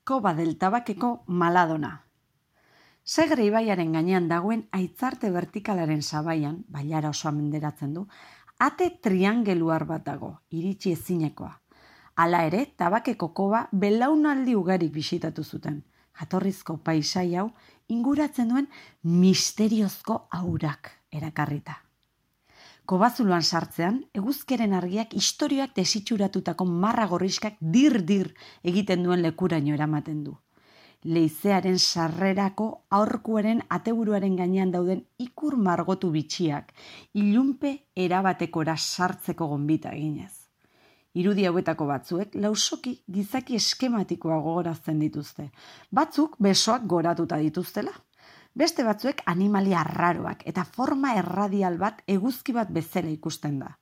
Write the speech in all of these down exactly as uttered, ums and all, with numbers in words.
Koba del Tabakeko Maladona. Segre ibaiaren gainean dagoen aitzarte vertikalaren sabaian, bailara osoa menderatzen du, ate triangeluar bat dago, iritsi ezinekoa. Hala ere, Tabakeko koba belaunaldi ugarik bisitatu zuten. Jatorrizko paisai hau inguratzen duen misteriozko aurak erakarrita. Kobazuloan sartzean, eguzkeren argiak istorioak desitxuratutako marra gorriskak dir-dir egiten duen lekuraino eramaten du. Leizearen sarrerako aurkuaren ateburuaren gainean dauden ikur margotu bitxiak, ilunpe erabatekora sartzeko gonbita eginez. Irudi hauetako batzuek lausoki gizaki eskematikoa gogorazten dituzte. Batzuk besoak goratuta dituztela. Beste batzuek animalia arraroak eta forma erradial bat eguzki bat bezala ikusten da.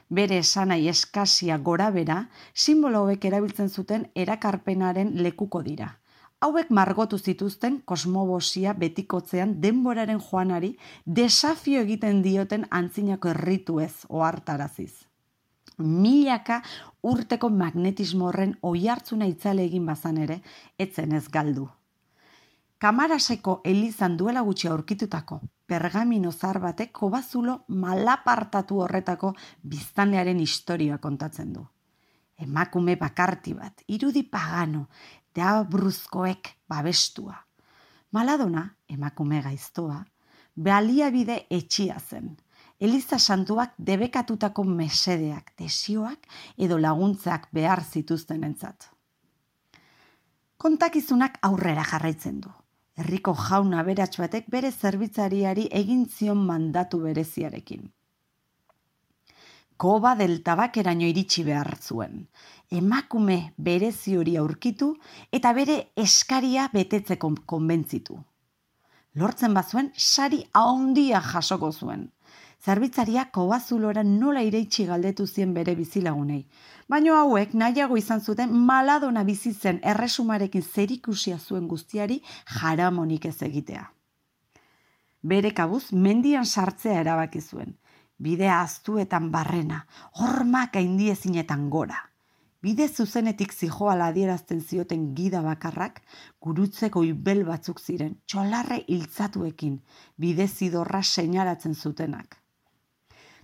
Bere esanai eskasia gorabera, simbolo hauek erabiltzen zuten erakarpenaren lekuko dira. Hauek margotu zituzten kosmobosia betikotzean denboraren joanari desafio egiten dioten antzinako errituez ohartaraziz. Milaka urteko magnetismo horren oihartzuna itzale egin bazan ere, etzen ez galdu. Kamaraseko elizan duela gutxi aurkitutako pergamino zahar batek kobazulo malapartatu horretako biztanlearen historia kontatzen du. Emakume bakarti bat, irudi pagano, deabruzkoek babestua. Maladona, emakume gaiztoa, baliabide etxia zen. Eliza santuak debekatutako mesedeak, desioak edo laguntzak behar zituztenentzat. Kontakizunak aurrera jarraitzen du. Herriko jaun aberats batek bere zerbitzariari egin zion mandatu bereziarekin. Koba del Tabakeraino iritsi behar zuen. Emakume berezi hori aurkitu eta bere eskaria betetzeko konbentzitu. Lortzen bazuen, sari handia jasoko zuen. Zerbitzaria kobazulora nola ireitsi galdetu zien bere bizilagunei. Baina hauek nahiago izan zuten Maladona bizi zen erresumarekin zerikusia zuen guztiari jaramonik ez egitea. Bere kabuz mendian sartzea erabaki zuen. Bidea aztuetan barrena, hormak gaindiezinetan gora. Bide zuzenetik zijoala adierazten zioten gida bakarrak, gurutzeko ibel batzuk ziren, txolarre hiltzatuekin, bide zidorra seinalatzen zutenak.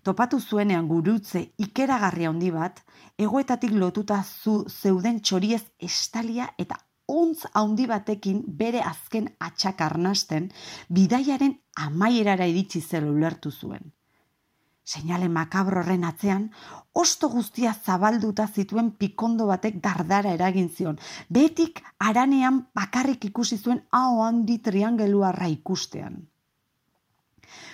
Topatu zuenean gurutze ikeragarria handi bat, egoetatik lotuta zu zeuden txoriez estalia eta ontz handi batekin bere azken atxak arnasten, bidaiaren amaierara iritsi zela ulertu zuen. Seinale makabro horren atzean, osto guztia zabalduta zituen pikondo batek dardara eragin zion, betik haranean bakarrik ikusi zuen hau handi triangeluarra ikustean.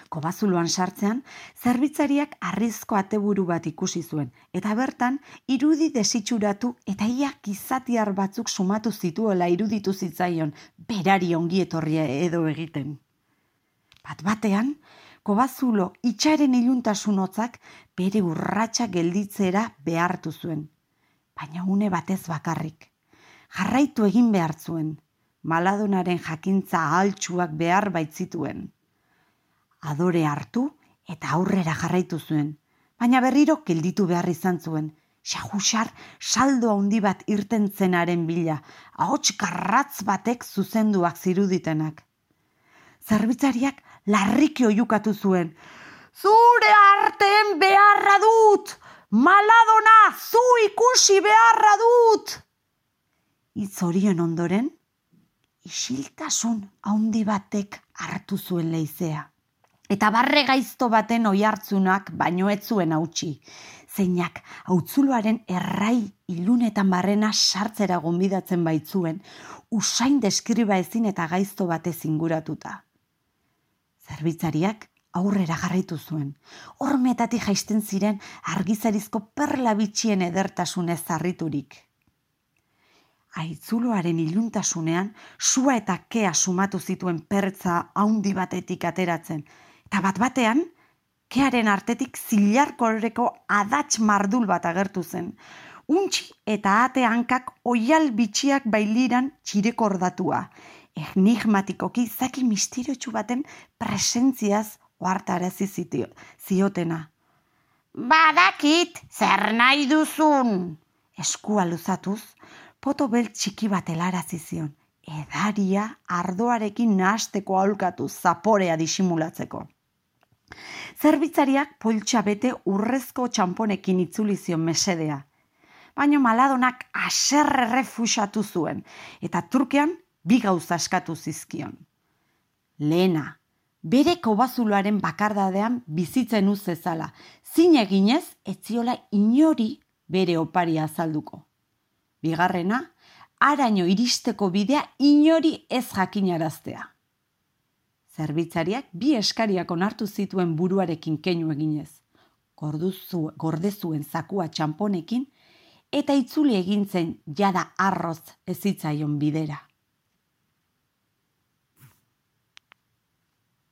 Kobazuloan sartzean, zerbitzariak harrizko ateburu bat ikusi zuen, eta bertan irudi desitxuratu eta ia gizatiar batzuk sumatu zituela iruditu zitzaion, berari ongi etorria edo egiten. Bat batean, kobazulo itxaren iluntasun hotzak bere urratsa gelditzera behartu zuen, baina une batez bakarrik. Jarraitu egin behar zuen, Maladonaren jakintza ahaltsuak behar baitzituen. Adore hartu eta aurrera jarraitu zuen, baina berriro gelditu behar izan zuen, xahuxar saldo handi bat irten zenaren bila, ahots garratz batek zuzenduak ziruditenak. Zerbitzariak larriki oiukatu zuen, zure arteen beharra dut! Maladona, zu ikusi beharra dut! Hitz horien ondoren, isiltasun handi batek hartu zuen leizea. Eta barre gaizto baten oihartzunak baino ez zuen hautsi, zeinak hautzuloaren errai ilunetan barrena sartzera gonbidatzen baitzuen, usain deskriba ezin eta gaizto batez inguratuta. Zerbitzariak aurrera jarraitu zuen, hormetatik jaisten ziren argizarizko perla bitxien edertasunez harriturik. Haitzuloaren iluntasunean, sua eta kea sumatu zituen pertza handi batetik ateratzen, eta bat batean, kearen artetik zilarkorreko adats mardul bat agertu zen. Untxi eta ate hankak oial bitxiak bailiran txirekordatua. Enigmatikoki zaki misteriotsu baten presentziaz ohartarazi ziotena. Badakit, zer nahi duzun? Eskua luzatuz, poto bel txiki bat helarazi zion, edaria ardoarekin nahasteko aholkatu zaporea disimulatzeko. Zerbitzariak poltsa bete urrezko txamponekin itzuli zion mesedea, baina Maladonak haserre refusatu zuen, eta trukean bi gauza eskatu zizkion. Lehena, bere kobazuloaren bakardadean bizitzen uz zezala, zin eginez etziola inori bere oparia azalduko. Bigarrena, haraino iristeko bidea inori ez jakinaraztea. Zerbitzariak bi eskariak onartu zituen buruarekin keinu eginez, gorduzu, gordezuen zakua txamponekin, eta itzuli egin zen jada arroz ez zitzaion bidera.